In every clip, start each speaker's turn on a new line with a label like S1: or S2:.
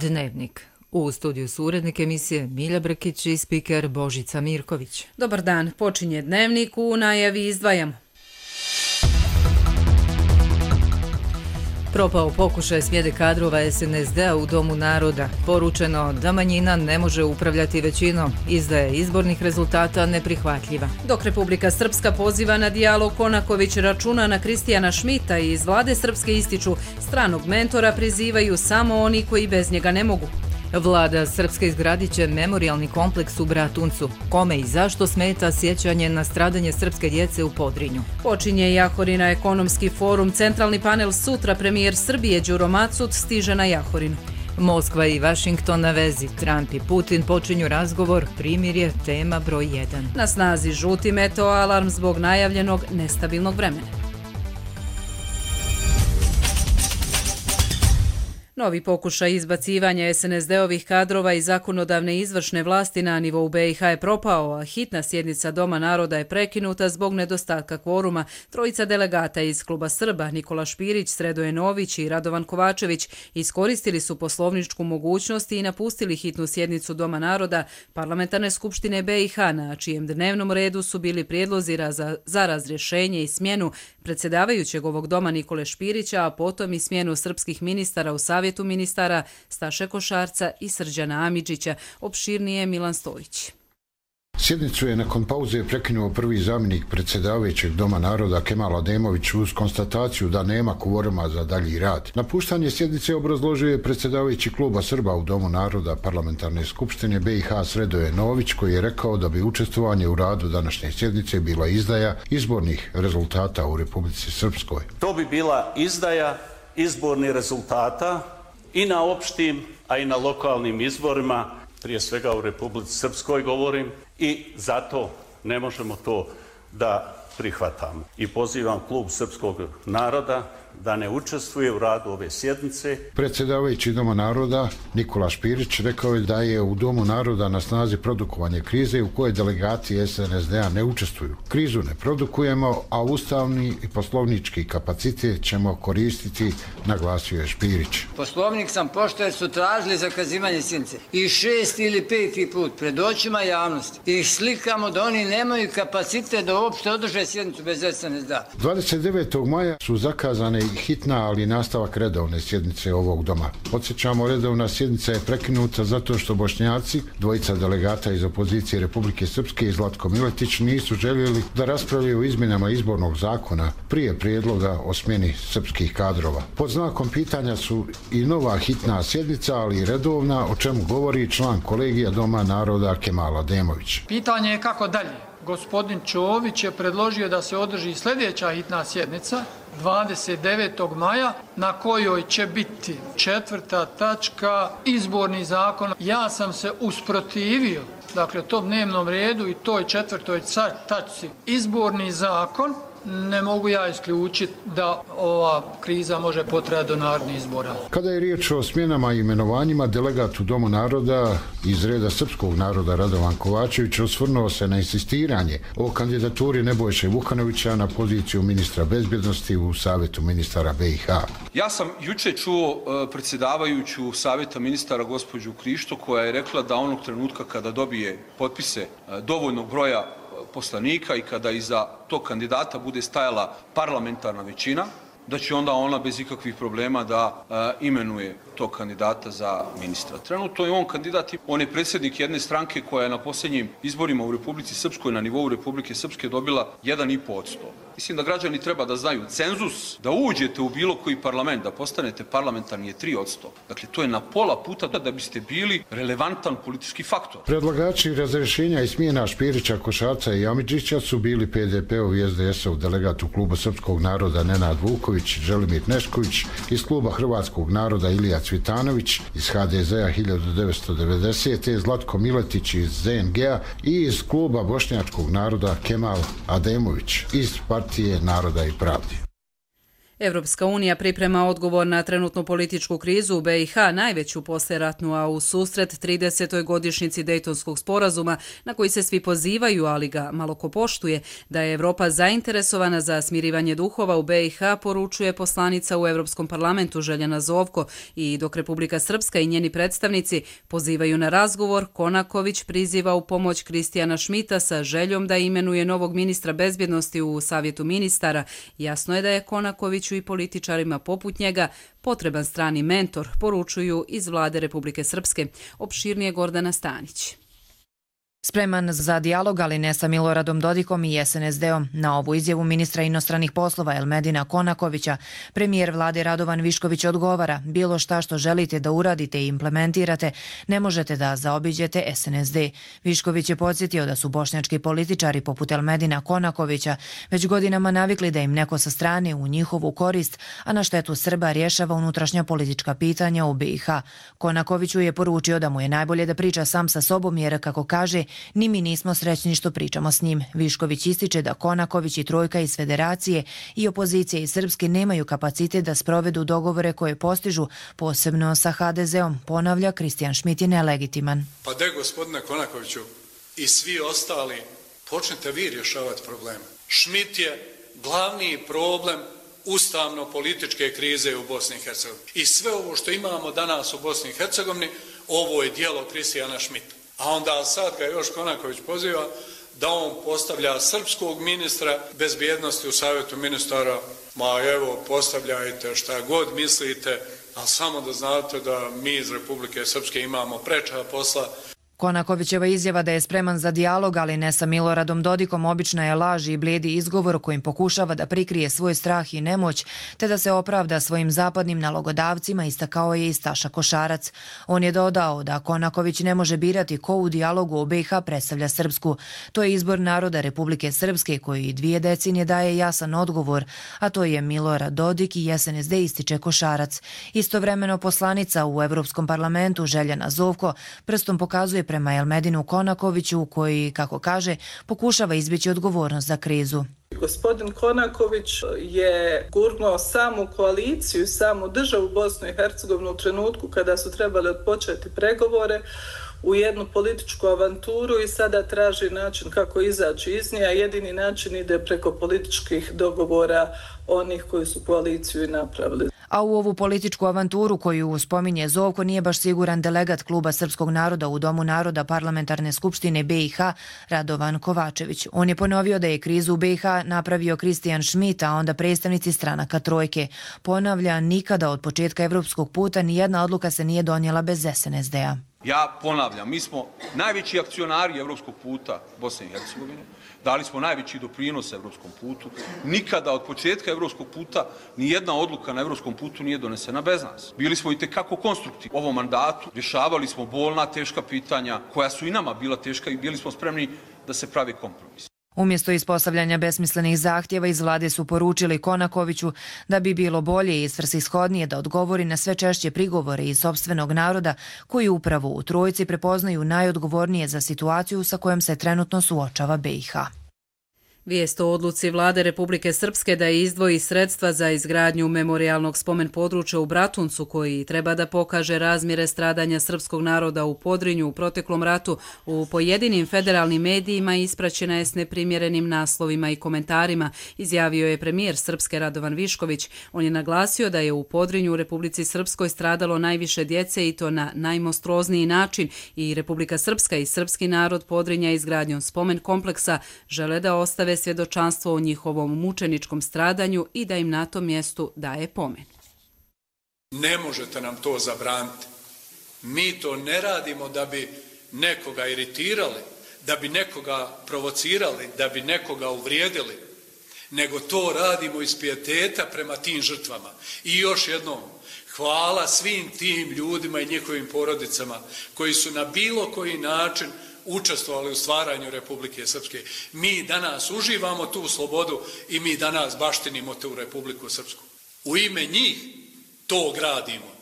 S1: Dnevnik. U studiju su urednik emisije Milja Brkić i spiker Božica Mirković.
S2: Dobar dan, počinje Dnevnik, u najavi izdvajamo.
S1: Propao pokušaj smjene kadrova SNSD-a u Domu naroda. Poručeno da manjina ne može upravljati većinom. Izdaja izbornih rezultata neprihvatljiva.
S2: Dok Republika Srpska poziva na dijalog, Konaković računa na Kristijana Šmita i iz vlade Srpske ističu stranog mentora prizivaju samo oni koji bez njega ne mogu.
S1: Vlada Srpske izgradit će memorijalni kompleks u Bratuncu. Kome i zašto smeta sjećanje na stradanje srpske djece u Podrinju?
S2: Počinje Jahorina ekonomski forum. Centralni panel sutra. Premijer Srbije Đuro Macut stiže na Jahorinu.
S1: Moskva i Vašington na vezi. Trump i Putin počinju razgovor. Primirje tema broj 1.
S2: Na snazi žuti meteo alarm zbog najavljenog nestabilnog vremena. Novi pokušaj izbacivanja SNSD-ovih kadrova i zakonodavne izvršne vlasti na nivou BiH je propao, a hitna sjednica Doma naroda je prekinuta zbog nedostatka kvoruma. Trojica delegata iz Kluba Srba, Nikola Špirić, Sredoje Nović i Radovan Kovačević, iskoristili su poslovničku mogućnost i napustili hitnu sjednicu Doma naroda Parlamentarne skupštine BiH, na čijem dnevnom redu su bili prijedlozi za razrješenje i smjenu predsjedavajućeg ovog doma Nikole Špirića, a potom i smjenu srpskih ministara u Savjetu ministara Staše Košarca i Srđana Amidžića. Opširnije Milan Stojić.
S3: Sjednicu je nakon pauze prekinuo prvi zamjenik predsjedavajućeg Doma naroda Kemal Ademović uz konstataciju da nema kvoruma za dalji rad. Napuštanje sjednice obrazložio je predsjedavajući Kluba Srba u Domu naroda Parlamentarne skupštine BiH Sredoje Nović, koji je rekao da bi učestvovanje u radu današnje sjednice bila izdaja izbornih rezultata u Republici Srpskoj.
S4: To bi bila izdaja izbornih rezultata i na opštim, a i na lokalnim izborima, prije svega u Republici Srpskoj govorim, i zato ne možemo to da prihvatamo. I pozivam Klub Srpskog naroda da ne učestvuje u radu ove sjednice.
S3: Predsjedavajući Doma naroda Nikola Špirić rekao je da je u Domu naroda na snazi produkovanje krize u kojoj delegati SNSD-a ne učestvuju. Krizu ne produkujemo, a ustavni i poslovnički kapacitet ćemo koristiti, naglasio je Špirić.
S5: Poslovnik sam pošto jer su tražili zakazivanje sjednice i 6. ili 5. put pred očima javnosti ih slikamo da oni nemaju kapacitet da uopšte održe sjednicu bez SNSD-a.
S3: 29. maja su zakazane hitna, ali nastavak redovne sjednice ovog doma. Podsjećamo, redovna sjednica je prekinuta zato što Bošnjaci, dvojica delegata iz opozicije Republike Srpske i Zlatko Miletić, nisu željeli da raspravljaju o izmjenama izbornog zakona prije prijedloga o smjeni srpskih kadrova. Pod znakom pitanja su i nova hitna sjednica, ali i redovna, o čemu govori član kolegija Doma naroda Kemal Ademović.
S6: Pitanje je kako dalje. Gospodin Čović je predložio da se održi sljedeća hitna sjednica 29. maja na kojoj će biti 4. tačka izborni zakon. Ja sam se usprotivio, dakle, tom dnevnom redu i toj 4. tačci izborni zakon. Ne mogu ja isključiti da ova kriza može potrajati do narednih izbora.
S3: Kada je riječ o smjenama i imenovanjima, delegat u Domu naroda iz reda srpskog naroda Radovan Kovačević osvrnuo se na insistiranje o kandidaturi Nebojše Vukanovića na poziciju ministra bezbjednosti u Savjetu ministara BiH.
S7: Ja sam juče čuo predsjedavajuću Savjeta ministara gospođu Krišto, koja je rekla da onog trenutka kada dobije potpise dovoljnog broja poslanika i kada iza tog kandidata bude stajala parlamentarna većina, da će onda ona bez ikakvih problema da imenuje tog kandidata za ministra. Trenutno je on kandidat, on je predsjednik jedne stranke koja je na posljednjim izborima u Republici Srpskoj na nivou Republike Srpske dobila 1,5%. Mislim da građani treba da znaju cenzus, da uđete u bilo koji parlament, da postanete parlamentarni je 3%. Dakle, to je na pola puta da biste bili relevantan politički faktor.
S3: Predlagači razrješenja i smjena Špirića, Košarca i Amidžića su bili PDP-ov i SDS-ov delegat u Klubu Srpskog naroda Nenad Vuković, Želimir Nešković, iz Kluba Hrvatskog naroda Ilija Cvitanović, iz HDZ-a 1990. Zlatko Miletić iz ZNG-a i iz Kluba Bošnjačkog naroda Kemal Ademović iz Partije naroda i pravdi.
S2: Europska unija priprema odgovor na trenutnu političku krizu u BiH, najveću poslijeratnu, a u susret 30. godišnjici Dejtonskog sporazuma, na koji se svi pozivaju, ali ga malo ko poštuje, da je Evropa zainteresovana za smirivanje duhova u BiH, poručuje poslanica u Europskom parlamentu Željana Zovko, i dok Republika Srpska i njeni predstavnici pozivaju na razgovor, Konaković priziva u pomoć Kristijana Šmita sa željom da imenuje novog ministra bezbjednosti u Savjetu ministara. Jasno je da je Konakoviću i političarima poput njega potreban strani mentor, poručuju iz vlade Republike Srpske. Opširnije Gordana Stanić.
S8: Spreman za dijalog, ali ne sa Miloradom Dodikom i SNSD-om. Na ovu izjavu ministra inostranih poslova Elmedina Konakovića, premijer vlade Radovan Višković odgovara: bilo šta što želite da uradite i implementirate, ne možete da zaobiđete SNSD. Višković je podsjetio da su bošnjački političari poput Elmedina Konakovića već godinama navikli da im neko sa strane u njihovu korist, a na štetu Srba rješava unutrašnja politička pitanja u BiH. Konakoviću je poručio da mu je najbolje da priča sam sa sobom, jer, kako kaže, ni mi nismo srećni što pričamo s njim. Višković ističe da Konaković i trojka iz Federacije i opozicije iz Srpske nemaju kapacitet da sprovedu dogovore koje postižu, posebno sa HDZ-om. Ponavlja, Kristijan Šmit je nelegitiman.
S9: Pa de, gospodine Konakoviću, i svi ostali, počnete vi rješavati probleme. Šmit je glavni problem ustavno-političke krize u Bosni i Hercegovini. I sve ovo što imamo danas u Bosni i Hercegovini, ovo je dijelo Kristijana Šmita. A onda sad ga još Konaković poziva da on postavlja srpskog ministra bezbjednosti u Savjetu ministara. Ma evo, postavljajte šta god mislite, ali samo da znate da mi iz Republike Srpske imamo preča posla.
S8: Konakovićeva izjava da je spreman za dijalog, ali ne sa Miloradom Dodikom, obična je laž i blijedi izgovor kojim pokušava da prikrije svoj strah i nemoć, te da se opravda svojim zapadnim nalogodavcima, istakao je i Staša Košarac. On je dodao da Konaković ne može birati ko u dijalogu o BiH predstavlja Srpsku. To je izbor naroda Republike Srpske koji 2 decenije daje jasan odgovor, a to je Milorad Dodik i SNSD, ističe Košarac. Istovremeno poslanica u Europskom parlamentu Željana Zovko prstom pokazuje prema Elmedinu Konakoviću, koji, kako kaže, pokušava izbjeći odgovornost za krizu.
S10: Gospodin Konaković je gurnuo samu koaliciju, samu državu Bosnu i Hercegovinu u trenutku kada su trebali odpočeti pregovore u jednu političku avanturu i sada traži način kako izaći iz nje, a jedini način ide preko političkih dogovora onih koji su koaliciju i napravili.
S8: A u ovu političku avanturu koju spominje Zovko nije baš siguran delegat Kluba srpskog naroda u Domu naroda Parlamentarne skupštine BiH Radovan Kovačević. On je ponovio da je krizu u BiH napravio Kristijan Šmit, a onda predstavnici stranaka trojke. Ponavlja, nikada od početka evropskog puta nijedna odluka se nije donijela bez SNSD-a.
S7: Ja ponavljam, mi smo najveći akcionari evropskog puta Bosne i Hercegovine, dali smo najveći doprinos evropskom putu. Nikada od početka evropskog puta nijedna odluka na evropskom putu nije donesena bez nas. Bili smo i tekako konstruktivni. U ovom mandatu rješavali smo bolna, teška pitanja koja su i nama bila teška i bili smo spremni da se pravi kompromis.
S8: Umjesto ispostavljanja besmislenih zahtjeva iz vlade su poručili Konakoviću da bi bilo bolje i svrsishodnije da odgovori na sve češće prigovore iz sopstvenog naroda koji upravo u trojci prepoznaju najodgovornije za situaciju sa kojom se trenutno suočava BiH.
S2: Vijest o odluci vlade Republike Srpske da izdvoji sredstva za izgradnju memorijalnog spomen područja u Bratuncu, koji treba da pokaže razmjere stradanja srpskog naroda u Podrinju u proteklom ratu, u pojedinim federalnim medijima ispraćena je s neprimjerenim naslovima i komentarima, izjavio je premijer Srpske Radovan Višković. On je naglasio da je u Podrinju u Republici Srpskoj stradalo najviše djece i to na najmonstruozniji način, i Republika Srpska i srpski narod Podrinja izgradnjom spomen kompleksa žele da ostave svjedočanstvo o njihovom mučeničkom stradanju i da im na tom mjestu daje pomen.
S9: Ne možete nam to zabraniti. Mi to ne radimo da bi nekoga iritirali, da bi nekoga provocirali, da bi nekoga uvrijedili, nego to radimo iz pijeteta prema tim žrtvama. I još jednom, hvala svim tim ljudima i njihovim porodicama koji su na bilo koji način učestvovali u stvaranju Republike Srpske. Mi danas uživamo tu slobodu i mi danas baštinimo tu Republiku Srpsku. U ime njih to gradimo.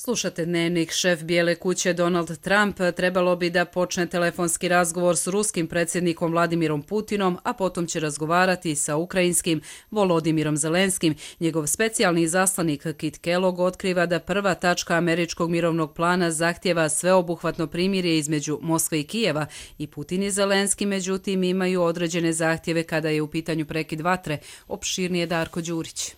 S2: Slušate Dnevnik. Šef Bijele kuće Donald Trump trebalo bi da počne telefonski razgovor s ruskim predsjednikom Vladimirom Putinom, a potom će razgovarati sa ukrajinskim Volodimirom Zelenskim. Njegov specijalni izaslanik Kit Kellogg otkriva da prva tačka američkog mirovnog plana zahtjeva sveobuhvatno primirje između Moskve i Kijeva i Putin i Zelenski, međutim, imaju određene zahtjeve kada je u pitanju prekid vatre. Opširnije Darko Đurić.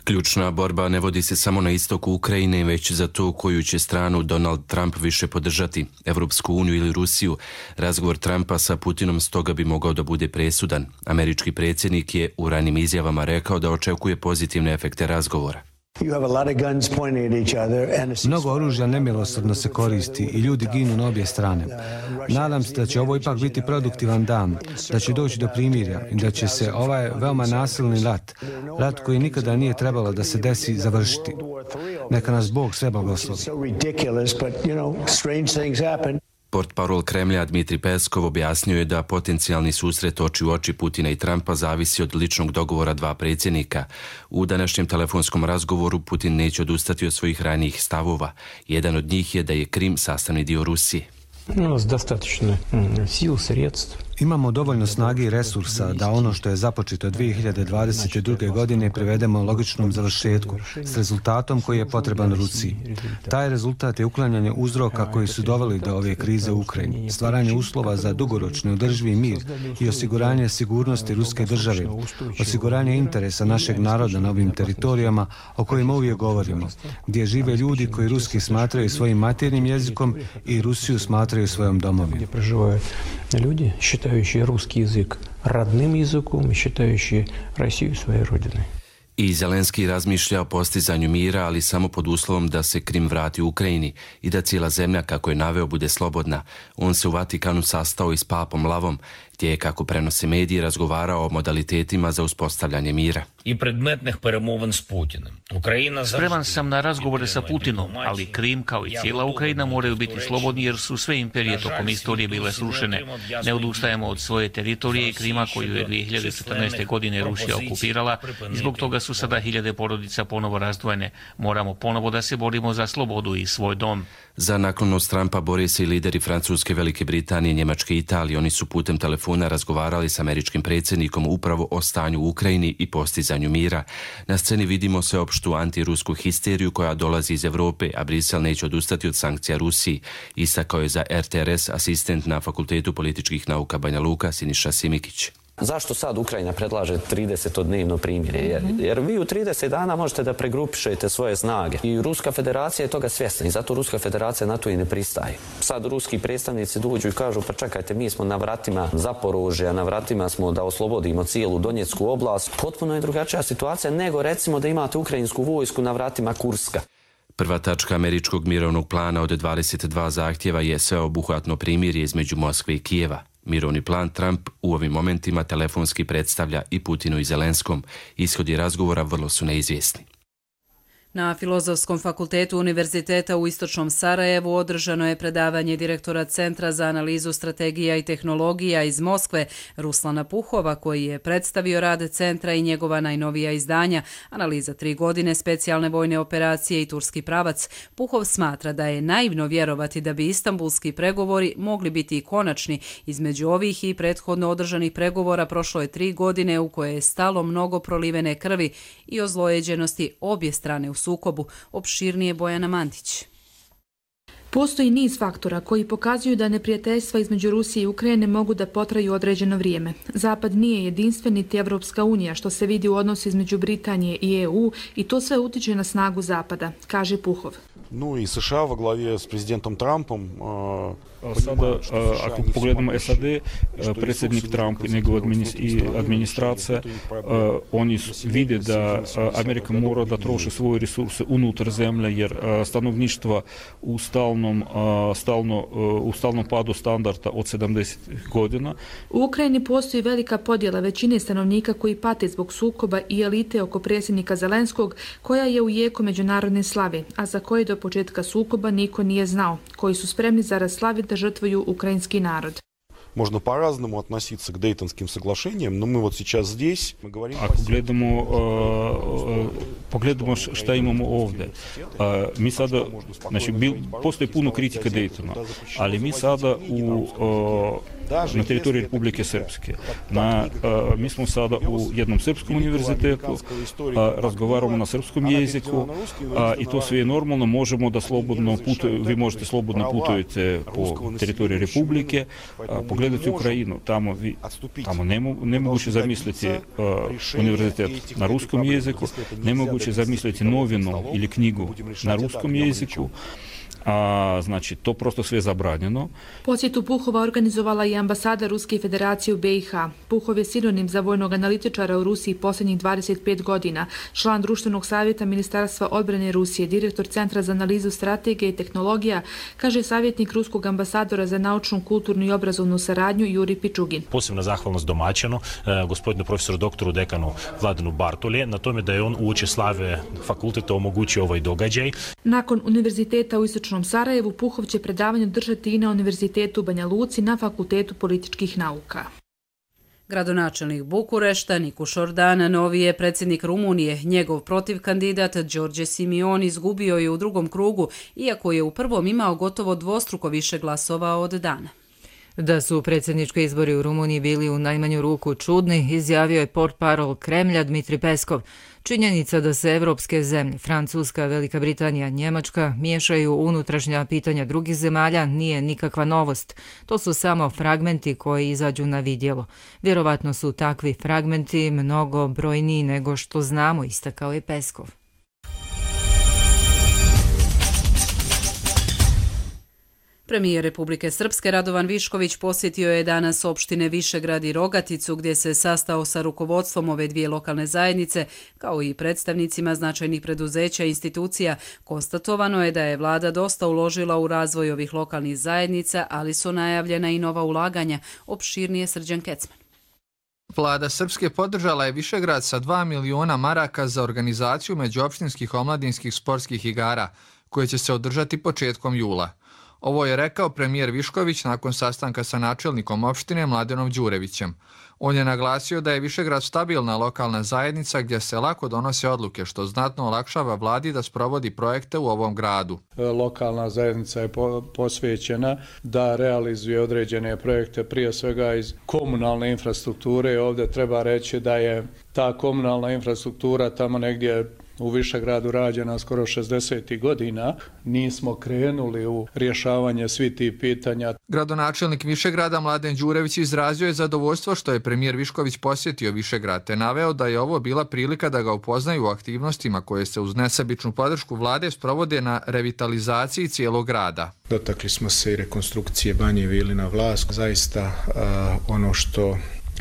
S11: Ključna borba ne vodi se samo na istoku Ukrajine, već za to koju će stranu Donald Trump više podržati, Evropsku uniju ili Rusiju. Razgovor Trumpa sa Putinom stoga bi mogao da bude presudan. Američki predsjednik je u ranim izjavama rekao da očekuje pozitivne efekte razgovora.
S12: Mnogo oružja nemilosrdno se koristi i ljudi ginu na obje strane. Nadam se da će ovo ipak biti produktivan dan, da će doći do primirja i da će se ovaj veoma nasilni rat koji nikada nije trebalo da se desi, završiti. Neka nas Bog sve blagoslovi.
S11: Portparol Kremlja Dmitri Peskov objasnio je da potencijalni susret oči u oči Putina i Trumpa zavisi od ličnog dogovora dva predsjednika. U današnjem telefonskom razgovoru Putin neće odustati od svojih ranijih stavova. Jedan od njih je da je Krim sastavni dio Rusije.
S12: Imamo dovoljno snage i resursa da ono što je započeto 2022. godine privedemo logičnom završetku s rezultatom koji je potreban Rusiji. Taj rezultat je uklanjanje uzroka koji su doveli do ove krize u Ukrajini, stvaranje uslova za dugoročni održivi mir i osiguranje sigurnosti ruske države, osiguranje interesa našeg naroda na ovim teritorijama o kojima uvijek govorimo, gdje žive ljudi koji ruski smatraju svojim maternjim jezikom i Rusiju smatraju svojom domovinom.
S13: Люди, считающие русский язык родным языком и считающие Россию своей родиной.
S11: I Zelenski razmišlja o postizanju mira, ali samo pod uslovom da se Krim vrati u Ukrajini i da cijela zemlja, kako je naveo, bude slobodna. On se u Vatikanu sastao i s papom Lavom, gdje je, kako prenose mediji, razgovarao o modalitetima za uspostavljanje mira.
S14: I predmetnih перемовин s Putinom.
S15: Spreman sam na razgovore sa Putinom, ali Krim kao i cijela Ukrajina moraju biti slobodni jer su sve imperije tokom istorije bile srušene. Ne odustajemo od svoje teritorije i Krima koju je 2014. godine Rusija okupirala i zbog toga su sada hiljade porodica ponovo razdvojene. Moramo ponovo da se borimo za slobodu i svoj dom.
S11: Za naklonost Trumpa bore se i lideri Francuske, Velike Britanije, Njemačke i Italije. Oni su putem telefona razgovarali s američkim predsjednikom upravo o stanju u Ukrajini i postizanju mira. Na sceni vidimo sveopštu antirusku histeriju koja dolazi iz Europe, a Brisel neće odustati od sankcija Rusiji. Istakao je za RTRS asistent na Fakultetu političkih nauka Banja Luka Siniša Simikić.
S16: Zašto sad Ukrajina predlaže 30-dnevno primirje? Jer vi u 30 dana možete da pregrupišete svoje snage. I Ruska federacija je toga svjesna i zato Ruska federacija na to i ne pristaje. Sad ruski predstavnici dođu i kažu pa čekajte, mi smo na vratima Zaporožja, na vratima smo da oslobodimo cijelu Donjecku oblast. Potpuno je drugačija situacija nego recimo da imate ukrajinsku vojsku na vratima Kurska.
S11: Prva tačka američkog mirovnog plana od 22 zahtjeva je sveobuhvatno primirje između Moskve i Kijeva. Mirovni plan Trump u ovim momentima telefonski predstavlja i Putinu i Zelenskom. Ishodi razgovora vrlo su neizvjesni.
S2: Na Filozofskom fakultetu Univerziteta u Istočnom Sarajevu održano je predavanje direktora Centra za analizu strategija i tehnologija iz Moskve, Ruslana Puhova, koji je predstavio rad centra i njegova najnovija izdanja, analiza 3 godine specijalne vojne operacije i turski pravac. Puhov smatra da je naivno vjerovati da bi istambulski pregovori mogli biti i konačni. Između ovih i prethodno održanih pregovora prošlo je 3 godine u koje je stalo mnogo prolivene krvi i ozlojeđenosti obje strane u sukobu. Opširnije Bojana Mandić.
S17: Postoji niz faktora koji pokazuju da neprijateljstva između Rusije i Ukrajine mogu da potraju određeno vrijeme. Zapad nije jedinstven niti Evropska unija, što se vidi u odnosu između Britanije i EU, i to sve utiče na snagu Zapada, kaže Puhov.
S18: Ну и США во главе с президентом Трампом.
S19: Sada, ako pogledamo SAD, predsjednik Trump i njegova administracija, oni vide da Amerika mora da troši svoje resurse unutar zemlje, jer stanovništvo u stalnom padu standarda od 70 godina.
S17: U Ukrajini postoji velika podjela većine stanovnika koji pate zbog sukoba i elite oko predsjednika Zelenskog, koja je u jeku međunarodne slave, a za koje do početka sukoba niko nije znao, koji su spremni zarad slave da žrtvuju ukrajinski narod.
S18: можно по-разному относиться к Дейтонским соглашениям, но мы вот сейчас здесь, мы говорим...
S19: Ako pogledamo šta imamo ovdje, mi sada, znači, postoji puno kritika Daytona, ali mi sada na teritoriji Republike Srpske. Mi smo sada u jednom srpskom univerzitetu, razgovaramo na srpskom jeziku i to sve je normalno, možemo da slobodno vi možete slobodno putujete po teritoriji Republike, pogledati Ukrajinu, tamo nemoguće zamisliti univerzitet na ruskom jeziku, nemoguće zamisliti novinu ili knjigu na ruskom jeziku. Znači, to prosto sve zabranjeno.
S17: Posjetu Puhova organizovala i ambasada Ruske federacije u BiH. Puhov je sinonim za vojnog analitičara u Rusiji posljednjih 25 godina, član Društvenog savjeta Ministarstva odbrane Rusije, direktor Centra za analizu strategije i tehnologija, kaže savjetnik ruskog ambasadora za naučnu, kulturnu i obrazovnu saradnju Juri Pičugin.
S20: Posebna zahvalnost domaćinu, gospodinu profesoru doktoru dekanu Vladanu Bartolje, na tome da je on uoči slave fakulteta omogućio ovaj događaj.
S17: Nakon univerziteta u Istočnom Sarajevu, Puhov će predavanje držati i na Univerzitetu u Banja Luci na Fakultetu političkih nauka.
S2: Gradonačelnik Bukurešta Nikuš Ordan novi je predsjednik Rumunije. Njegov protivkandidat Đorđe Simion izgubio je u drugom krugu, iako je u prvom imao gotovo dvostruko više glasova od Dana.
S1: Da su predsjednički izbori u Rumuniji bili u najmanju ruku čudni, izjavio je portparol Kremlja Dmitri Peskov. Činjenica da se evropske zemlje, Francuska, Velika Britanija, Njemačka, miješaju u unutrašnja pitanja drugih zemalja nije nikakva novost. To su samo fragmenti koji izađu na vidjelo. Vjerovatno su takvi fragmenti mnogo brojniji nego što znamo, istakao je Peskov.
S2: Premijer Republike Srpske Radovan Višković posjetio je danas opštine Višegrad i Rogaticu, gdje se sastao sa rukovodstvom ove dvije lokalne zajednice, kao i predstavnicima značajnih preduzeća i institucija. Konstatovano je da je vlada dosta uložila u razvoj ovih lokalnih zajednica, ali su najavljena i nova ulaganja. Opširnije Srđan Kecman.
S21: Vlada Srpske podržala je Višegrad sa 2 miliona maraka za organizaciju međuopštinskih omladinskih sportskih igara, koje će se održati početkom jula. Ovo je rekao premijer Višković nakon sastanka sa načelnikom opštine Mladenom Đurevićem. On je naglasio da je Višegrad stabilna lokalna zajednica gdje se lako donose odluke, što znatno olakšava vladi da sprovodi projekte u ovom gradu.
S9: Lokalna zajednica je posvećena da realizuje određene projekte, prije svega iz komunalne infrastrukture. Ovdje treba reći da je ta komunalna infrastruktura tamo negdje u Višegradu rađena skoro 60. godina. Nismo krenuli u rješavanje svih tih pitanja.
S21: Gradonačelnik Višegrada Mladen Đurević izrazio je zadovoljstvo što je premijer Višković posjetio Višegrad, te naveo da je ovo bila prilika da ga upoznaju u aktivnostima koje se uz nesebičnu podršku vlade sprovode na revitalizaciji cijelog grada.
S22: Dotakli smo se i rekonstrukcije Banje Vilina Vlask. Zaista ono što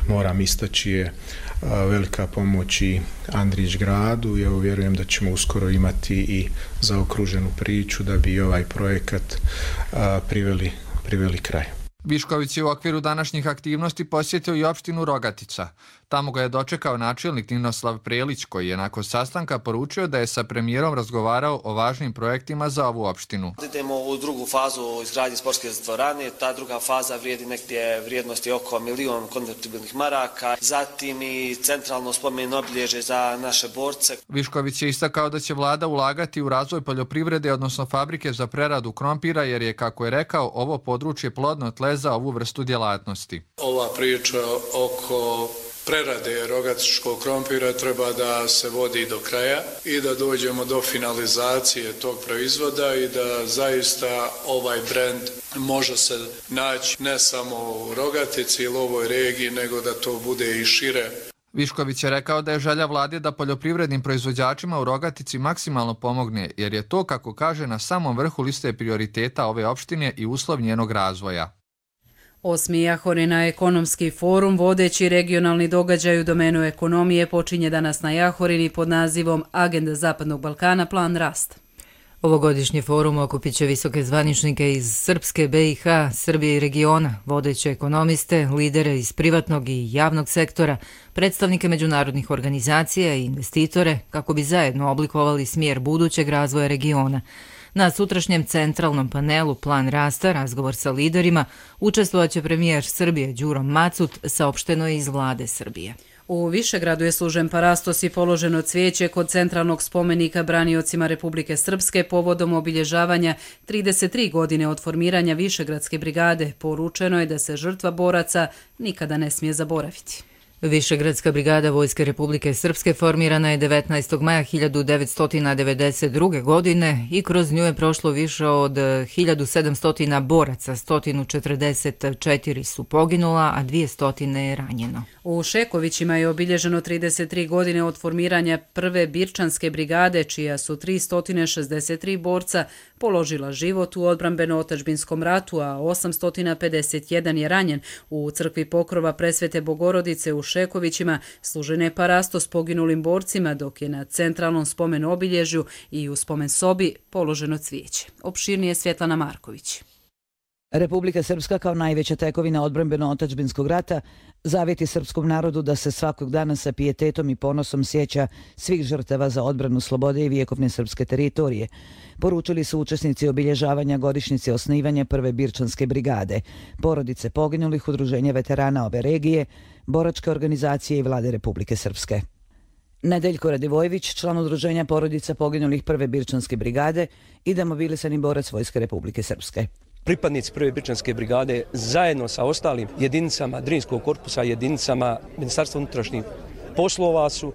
S22: moram istaći je velika pomoć i Andrić gradu i evo vjerujem da ćemo uskoro imati i zaokruženu priču da bi ovaj projekat priveli kraj.
S21: Višković je u okviru današnjih aktivnosti posjetio i opštinu Rogatica. Tamo ga je dočekao načelnik Ninoslav Prelić, koji je nakon sastanka poručio da je sa premijerom razgovarao o važnim projektima za ovu opštinu.
S23: Idemo u drugu fazu izgradnje sportske dvorane. Ta druga faza vrijedi negdje vrijednosti oko 1 milion konvertibilnih maraka. Zatim i centralno spomen obilježje za naše borce.
S21: Višković je istakao da će vlada ulagati u razvoj poljoprivrede, odnosno fabrike za preradu krompira, jer je, kako je rekao, ovo područje plodno tle za ovu vrstu djelatnosti.
S9: Ova priča oko prerade rogatičkog krompira treba da se vodi do kraja i da dođemo do finalizacije tog proizvoda i da zaista ovaj brend može se naći ne samo u Rogatici ili ovoj regiji, nego da to bude i šire.
S21: Višković je rekao da je želja vlade da poljoprivrednim proizvođačima u Rogatici maksimalno pomogne, jer je to, kako kaže, na samom vrhu liste prioriteta ove opštine i uslov njenog razvoja.
S2: 8. Jahorina ekonomski forum, vodeći regionalni događaj u domenu ekonomije, počinje danas na Jahorini pod nazivom Agenda Zapadnog Balkana, plan rast.
S1: Ovogodišnji forum okupit će visoke zvaničnike iz Srpske, BiH, Srbije i regiona, vodeće ekonomiste, lidere iz privatnog i javnog sektora, predstavnike međunarodnih organizacija i investitore, kako bi zajedno oblikovali smjer budućeg razvoja regiona. Na sutrašnjem centralnom panelu Plan rasta, razgovor sa liderima, učestvovaće premijer Srbije Đuro Macut, saopšteno je iz vlade Srbije.
S2: U Višegradu je služen parastos i položeno cvijeće kod centralnog spomenika braniocima Republike Srpske povodom obilježavanja 33 godine od formiranja Višegradske brigade. Poručeno je da se žrtva boraca nikada ne smije zaboraviti.
S1: Višegradska brigada Vojske Republike Srpske formirana je 19. maja 1992. godine i kroz nju je prošlo više od 1700 boraca, 144 su poginula, a 200 je ranjeno.
S2: U Šekovićima je obilježeno 33 godine od formiranja prve Birčanske brigade, čija su 363 borca položila život u odbrambeno-otadžbinskom ratu, a 851 je ranjen. U crkvi Pokrova Presvete Bogorodice u Šekovićima služen je parastos poginulim borcima, dok je na centralnom spomen obilježju i u spomen sobi položeno cvijeće. Opširnije Svjetlana Marković.
S4: Republika Srpska kao najveća tekovina odbrambeno-otadžbinskog rata zavjeti srpskom narodu da se svakog dana sa pijetetom i ponosom sjeća svih žrtava za odbranu slobode i vjekovne srpske teritorije. Poručili su učesnici obilježavanja godišnjice osnivanja prve Birčanske brigade, porodice poginulih, udruženja veterana ove regije, boračke organizacije i vlade Republike Srpske. Nedeljko Radivojević, član udruženja porodica poginulih prve Birčanske brigade i demobilisani borac Vojske Republike Srpske.
S5: Pripadnici prve Birčanske brigade zajedno sa ostalim jedinicama Drinskog korpusa, jedinicama Ministarstva unutrašnjih poslova su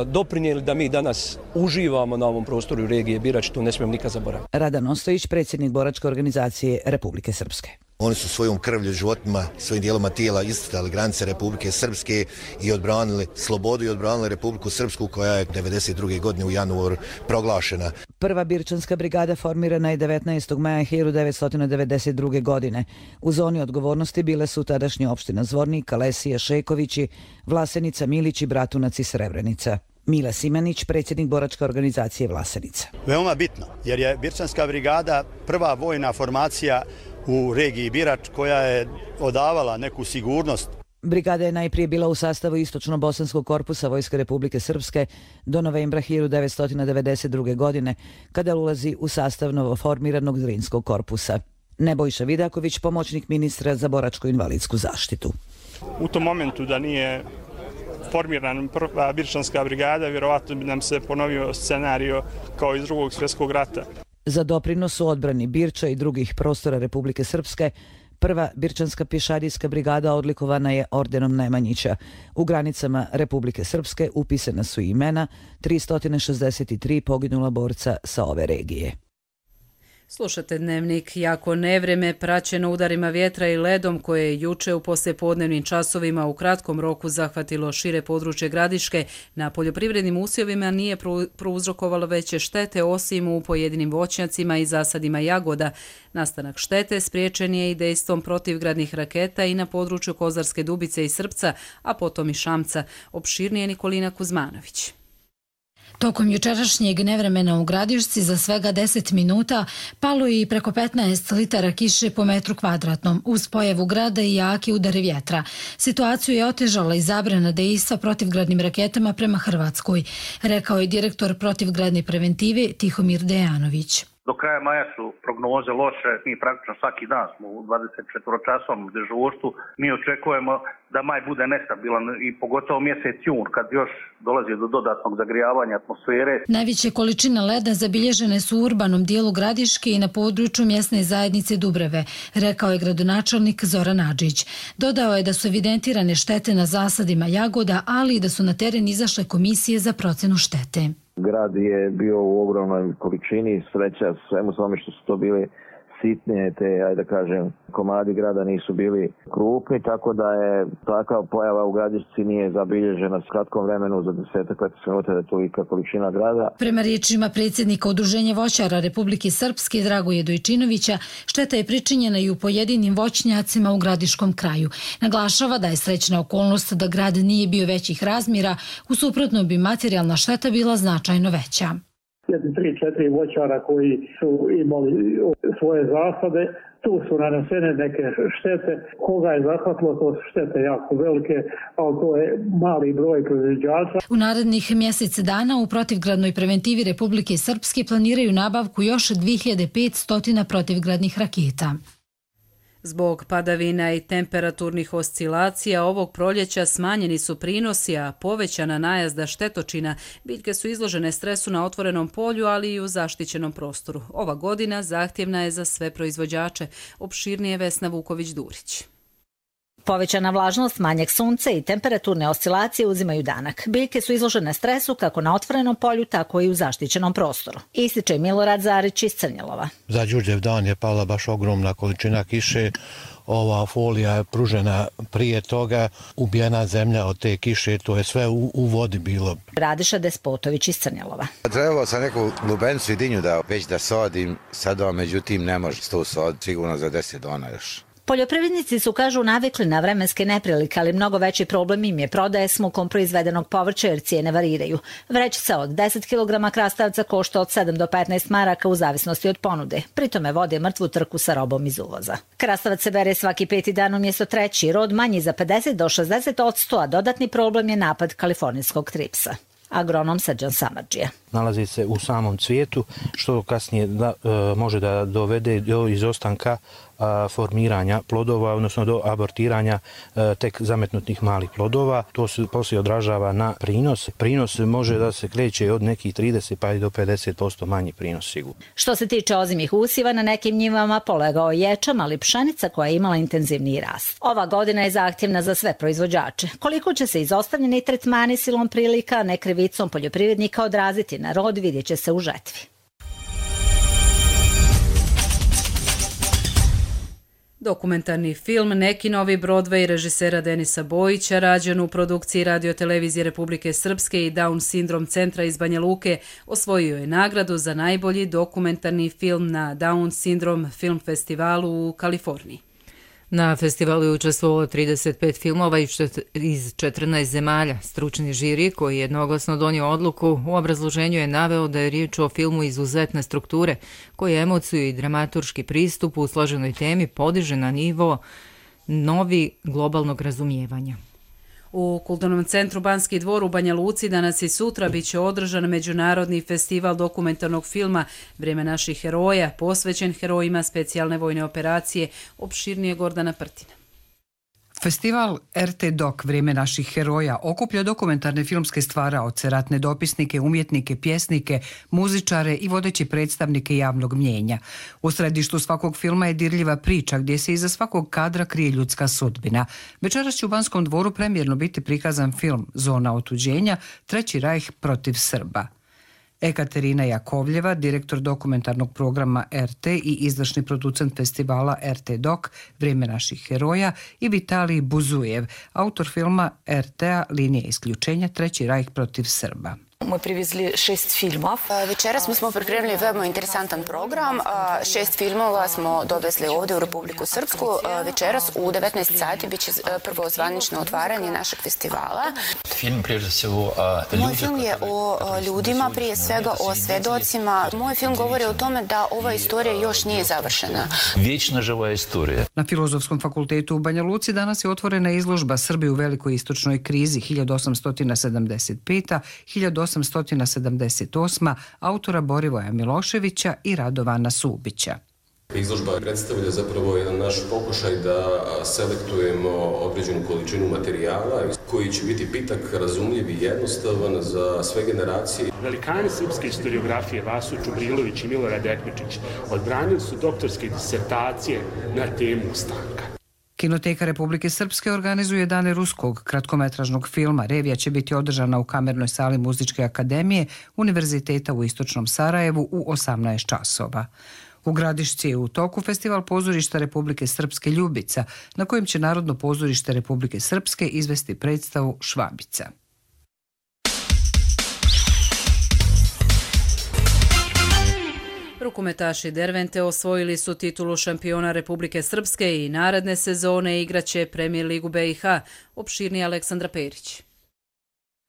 S5: doprinijeli da mi danas uživamo na ovom prostoru regije Birač, to ne smijemo nikad zaboraviti.
S4: Radan Ostojić, predsjednik boračke organizacije Republike Srpske.
S6: Oni su svojom krvlju, životima, svojim dijeloma tijela isticali granice Republike Srpske i odbranili slobodu i odbranili Republiku Srpsku koja je 1992. godine u januaru proglašena.
S4: Prva Birčanska brigada formirana je 19. maja 1992. godine. U zoni odgovornosti bile su tadašnje opština Zvornik, Kalesija, Šekovići, Vlasenica, Milić i Bratunac i Srebrenica. Mila Simanić, predsjednik boračke organizacije Vlasenica.
S24: Veoma bitno, jer je Birčanska brigada prva vojna formacija u regiji Birač koja je odavala neku sigurnost.
S4: Brigada je najprije bila u sastavu Istočno-bosanskog korpusa Vojske Republike Srpske do novembra 1992. godine, kada ulazi u sastav novoformiranog Drinskog korpusa. Nebojša Vidaković, pomoćnik ministra za boračku invalidsku zaštitu.
S25: U tom momentu da nije formirana prva Birčanska brigada, vjerovatno bi nam se ponovio scenario kao iz Drugog svjetskog rata.
S4: Za doprinos u odbrani Birča i drugih prostora Republike Srpske, prva Birčanska pješadijska brigada odlikovana je ordenom Nemanjića. U granicama Republike Srpske upisana su imena 363 poginula borca sa ove regije.
S2: Slušate Dnevnik. Jako nevreme praćeno udarima vjetra i ledom koje je juče u poslijepodnevnim časovima u kratkom roku zahvatilo šire područje Gradiške, na poljoprivrednim usjevima nije prouzrokovalo veće štete osim u pojedinim voćnjacima i zasadima jagoda. Nastanak štete spriječen je i dejstvom protivgradnih raketa i na području Kozarske Dubice i Srpca, a potom i Šamca. Opširnije Nikolina Kuzmanović.
S26: Tokom jučerašnjeg nevremena u Gradišci za svega 10 minuta palo je i preko 15 litara kiše po metru kvadratnom, uz pojavu grada i jaki udari vjetra. Situaciju je otežala i zabrana dejstva protivgradnim raketama prema Hrvatskoj, rekao je direktor protivgradne preventive Tihomir Dejanović.
S27: Do kraja maja su prognoze loše, mi praktično svaki dan smo u 24-časovnom dežurstvu. Mi očekujemo da maj bude nestabilan i pogotovo mjesec jun kad još dolazi do dodatnog zagrijavanja atmosfere.
S26: Najveće količine leda zabilježene su u urbanom dijelu Gradiške i na području mjesne zajednice Dubreve, rekao je gradonačelnik Zoran Adžić. Dodao je da su evidentirane štete na zasadima jagoda, ali i da su na teren izašle komisije za procenu štete.
S28: Grad je bio u ogromnoj količini, sreća svemu tome što su to bili sitnije, te, ajde da kažem, komadi grada nisu bili krupni, tako da je takva pojava u Gradišci nije zabilježena s kratkom vremenu za 10-15 minuta da je tolika količina grada.
S26: Prema riječima predsjednika Udruženja voćara Republike Srpske Dragoje Dojčinovića, šteta je pričinjena i u pojedinim voćnjacima u gradiškom kraju. Naglašava da je srećna okolnost da grad nije bio većih razmjera, u suprotnom bi materijalna šteta bila značajno veća.
S29: 3-4 voćara koji su imali svoje zasade
S3: Tu su nanesene neke štete. Koga je zahvatilo, to su štete jako velike, ali to je mali broj proizvođača.
S26: U narednih mjesec dana u protivgradnoj preventivi Republike Srpske planiraju nabavku još 2500 protivgradnih raketa.
S2: Zbog padavina i temperaturnih oscilacija ovog proljeća smanjeni su prinosi, a povećana najazda štetočina. Biljke su izložene stresu na otvorenom polju, ali i u zaštićenom prostoru. Ova godina zahtjevna je za sve proizvođače. Opširnije Vesna Vuković-Durić.
S7: Povećana vlažnost, manjak sunca i temperaturne oscilacije uzimaju danak. Biljke su izložene stresu kako na otvorenom polju, tako i u zaštićenom prostoru. Ističe Milorad Zarić iz Crnjelova.
S8: Za Đurđev dan je pala baš ogromna količina kiše. Ova folija je pružena prije toga, ubijena zemlja od te kiše, to je sve u vodi bilo.
S7: Radiša Despotović iz Crnjelova.
S10: Trebalo sam neku lubenicu i dinju već da sadim, sada međutim ne može to saditi sigurno za 10 dana još.
S7: Poljoprivrednici su, kažu, navikli na vremenske neprilike, ali mnogo veći problem im je prodaje s mukom proizvedenog povrća jer cijene variraju. Vrećica od 10 kg krastavca košta od 7 do 15 maraka u zavisnosti od ponude. Pritome vode mrtvu trku sa robom iz uvoza. Krastavac se bere svaki 5. dan umjesto 3. Rod manji za 50 do 60%, a dodatni problem je napad kalifornijskog tripsa. Agronom Srđan Samardžija.
S12: Nalazi se u samom cvijetu, što kasnije može da dovede do izostanka formiranja plodova, odnosno do abortiranja tek zametnutih malih plodova. To se poslije odražava na prinos. Prinos može da se kreće od nekih 30 pa i do 50% manji prinos sigurno.
S7: Što se tiče ozimih usiva, na nekim njivama polegao ječam, ali pšenica koja je imala intenzivniji rast. Ova godina je zahtjevna za sve proizvođače. Koliko će se izostavljeni tretmani silom prilika, ne krivicom poljoprivrednika odraziti na rod, vidjet će se u žetvi.
S2: Dokumentarni film Neki novi Broadway režisera Denisa Bojića, rađen u produkciji Radio-televizije Republike Srpske i Down sindrom centra iz Banja Luke, osvojio je nagradu za najbolji dokumentarni film na Down sindrom film festivalu u Kaliforniji.
S1: Na festivalu je učestvovalo 35 filmova iz 14 zemalja. Stručni žiri, koji je jednoglasno donio odluku, u obrazloženju je naveo da je riječ o filmu izuzetne strukture, koji emociju i dramaturški pristup u složenoj temi podiže na nivo novi globalnog razumijevanja.
S2: U Kulturnom centru Banski dvor u Banja Luci danas i sutra bit će održan Međunarodni festival dokumentarnog filma Vrijeme naših heroja, posvećen herojima specijalne vojne operacije. Opširnije Gordana Prtina.
S13: Festival RT Doc Vrijeme naših heroja okuplja dokumentarne filmske stvaraoce, ratne dopisnike, umjetnike, pjesnike, muzičare i vodeći predstavnike javnog mnijenja. U središtu svakog filma je dirljiva priča gdje se iza svakog kadra krije ljudska sudbina. Večeras će u Banskom dvoru premijerno biti prikazan film Zona otuđenja, Treći rajh protiv Srba. Ekaterina Jakovljeva, direktor dokumentarnog programa RT i izvršni producent festivala RT Doc Vrijeme naših heroja, i Vitalij Buzujev, autor filma RT-a Linija isključenja, Treći rajh protiv Srba.
S14: Мы привезли 6 фильмов. Večeras mi smo pripremili veoma interesantan program. 6 filmova smo dovezli ovdje u Republiku Srpsku. Večeras u 19 sati bit će prvo zvanično otvaranje našeg festivala. Moj film je o ljudima, prije svega o svedocima. Moj film govori o tome da ova istorija još nije završena.
S13: Vječna živa istorija. Na Filozofskom fakultetu u Banja Luci danas je otvorena izložba Srbi u velikoj istočnoj krizi 1875-1878 autora Borivoja Miloševića i Radovana Subića.
S15: Izložba predstavlja zapravo jedan naš pokušaj da selektujemo određenu količinu materijala koji će biti pitak, razumljiv i jednostavan za sve generacije.
S29: Velikani srpske historiografije Vaso Čubrilović i Milorad Ekmečić odbranili su doktorske disertacije na temu ustanka.
S13: Kinoteka Republike Srpske organizuje Dane ruskog kratkometražnog filma. Revija će biti održana u Kamernoj sali Muzičke akademije Univerziteta u Istočnom Sarajevu u 18 časova. U Gradišci je u toku festival pozorišta Republike Srpske Ljubica, na kojem će Narodno pozorište Republike Srpske izvesti predstavu Švabica.
S2: Rukometaši Dervente osvojili su titulu šampiona Republike Srpske i naredne sezone igraće Premijer ligu BiH. Opširnije Aleksandra Perić.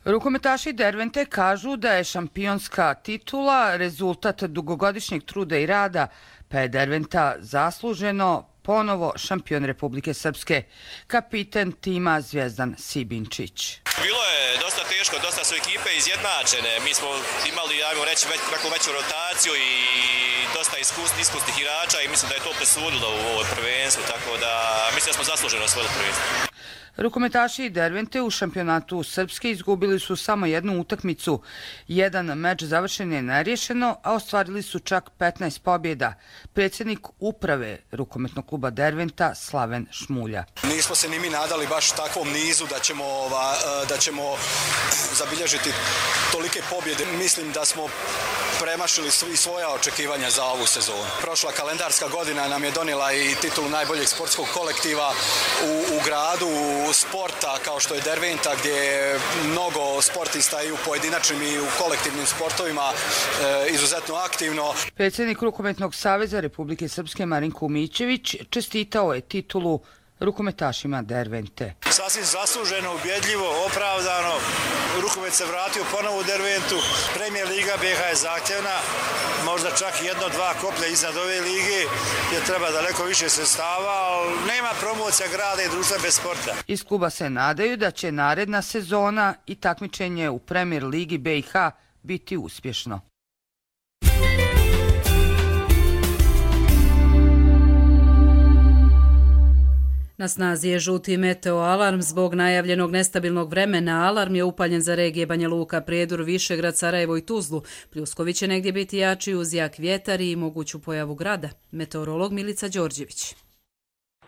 S9: Rukometaši Dervente kažu da je šampionska titula rezultat dugogodišnjeg truda i rada, pa je Derventa zasluženo ponovo šampion Republike Srpske. Kapiten tima Zvijezdan Sibinčić.
S11: Bilo je dosta teško, dosta su ekipe izjednačene. Mi smo imali, ajmo reći, veću rotaciju i dosta iskusnih igrača i mislim da je to presudilo u ovoj prvenstvu, tako da mislim da smo zasluženo osvojili prvenstvo.
S9: Rukometaši Dervente u šampionatu Srpske izgubili su samo jednu utakmicu. Jedan meč završen je neriješeno, a ostvarili su čak 15 pobjeda. Predsjednik uprave rukometnog kluba Derventa Slaven Šmulja.
S16: Nismo se ni mi nadali baš takvom nizu da ćemo zabilježiti tolike pobjede. Mislim da smo premašili svi svoja očekivanja za ovu sezonu. Prošla kalendarska godina nam je donijela i titulu najboljeg sportskog kolektiva u gradu, sporta kao što je Derventa, gdje je mnogo sportista i u pojedinačnim i u kolektivnim sportovima izuzetno aktivno.
S9: Predsjednik Rukometnog saveza Republike Srpske Marinko Umićević čestitao je titulu rukometašima Dervente.
S16: Sasvim zasluženo, ubjedljivo, opravdano. Rukomet se vratio ponovo u Derventu. Premijer Liga BiH je zahtjevna, možda čak 1-2 koplja iznad ove lige, gdje treba daleko više sredstava, ali nema promocija grada i društva bez sporta.
S9: Iz kluba se nadaju da će naredna sezona i takmičenje u Premijer Ligi BiH biti uspješno.
S2: Na snazi je žuti meteo alarm zbog najavljenog nestabilnog vremena. Alarm je upaljen za regije Banja Luka, Prijedor, Višegrad, Sarajevo i Tuzlu. Pljuskovi će negdje biti jači uz jak vjetar i moguću pojavu grada. Meteorolog Milica Đorđević.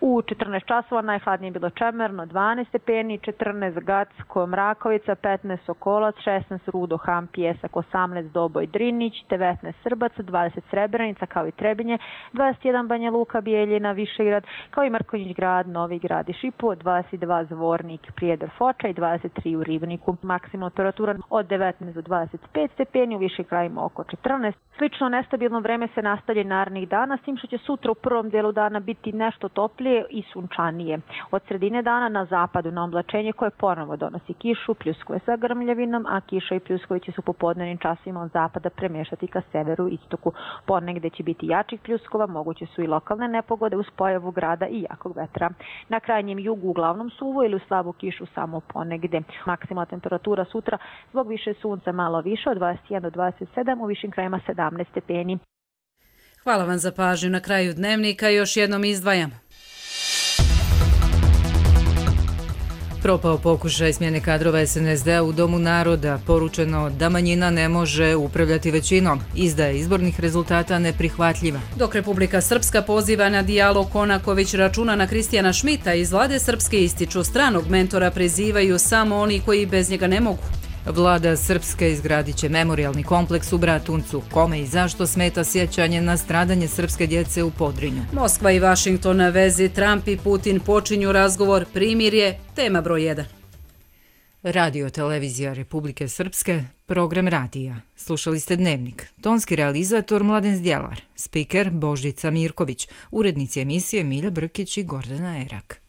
S17: U 14 časova najhladnije je bilo Čemerno, 12 stepeni, 14 Gacko, Mrakovica, 15 Sokolac, 16 Rudo, Ham, Pjesak, 18 Doboj, Drinić, 19 Srbac, 20 Srebrenica kao i Trebinje, 21 Banja Luka, Bijeljina, Višegrad, kao i Mrkonjić grad, Novi grad i Šipovo, 22 Zvornik, Prijedor, Foča i 23 u Ribniku. Maksimalna temperatura od 19 do 25 stepeni, u višim krajima oko 14. Slično nestabilno vreme se nastavlja narednih dana, s tim što će sutra u prvom dijelu dana biti nešto toplije i sunčanije. Od sredine dana na zapadu na oblačenje koje ponovo donosi kišu, pljuskove sa grmljavinom, a kiša i pljuskovi će se u popodnevnim časima od zapada premješati ka severu i istoku. Ponegde će biti jačih pljuskova, moguće su i lokalne nepogode uz pojavu grada i jakog vetra. Na krajnjem jugu uglavnom suvu ili u slabu kišu samo ponegde. Maksimalna temperatura sutra zbog više sunca malo više od 21 do 27, u višim krajima 17 stepeni.
S2: Hvala vam za pažnju. Na kraju dnevnika još jednom izdvajam. Propao pokušaj smjene kadrova SNSD-a u Domu naroda, poručeno da manjina ne može upravljati većinom, izdaja izbornih rezultata neprihvatljiva. Dok Republika Srpska poziva na dijalog, Konaković računa na Kristijana Šmita, iz vlade Srpske ističu stranog mentora prizivaju samo oni koji bez njega ne mogu. Vlada Srpske izgradit će memorijalni kompleks u Bratuncu. Kome i zašto smeta sjećanje na stradanje srpske djece u Podrinju? Moskva i Vašington na vezi, Trump i Putin počinju razgovor, primirje, tema broj 1. Radio televizija Republike Srpske, program radija. Slušali ste Dnevnik. Tonski realizator Mladen Zdjelar, spiker Božica Mirković, urednici emisije Milja Brkić i Gordana Erak.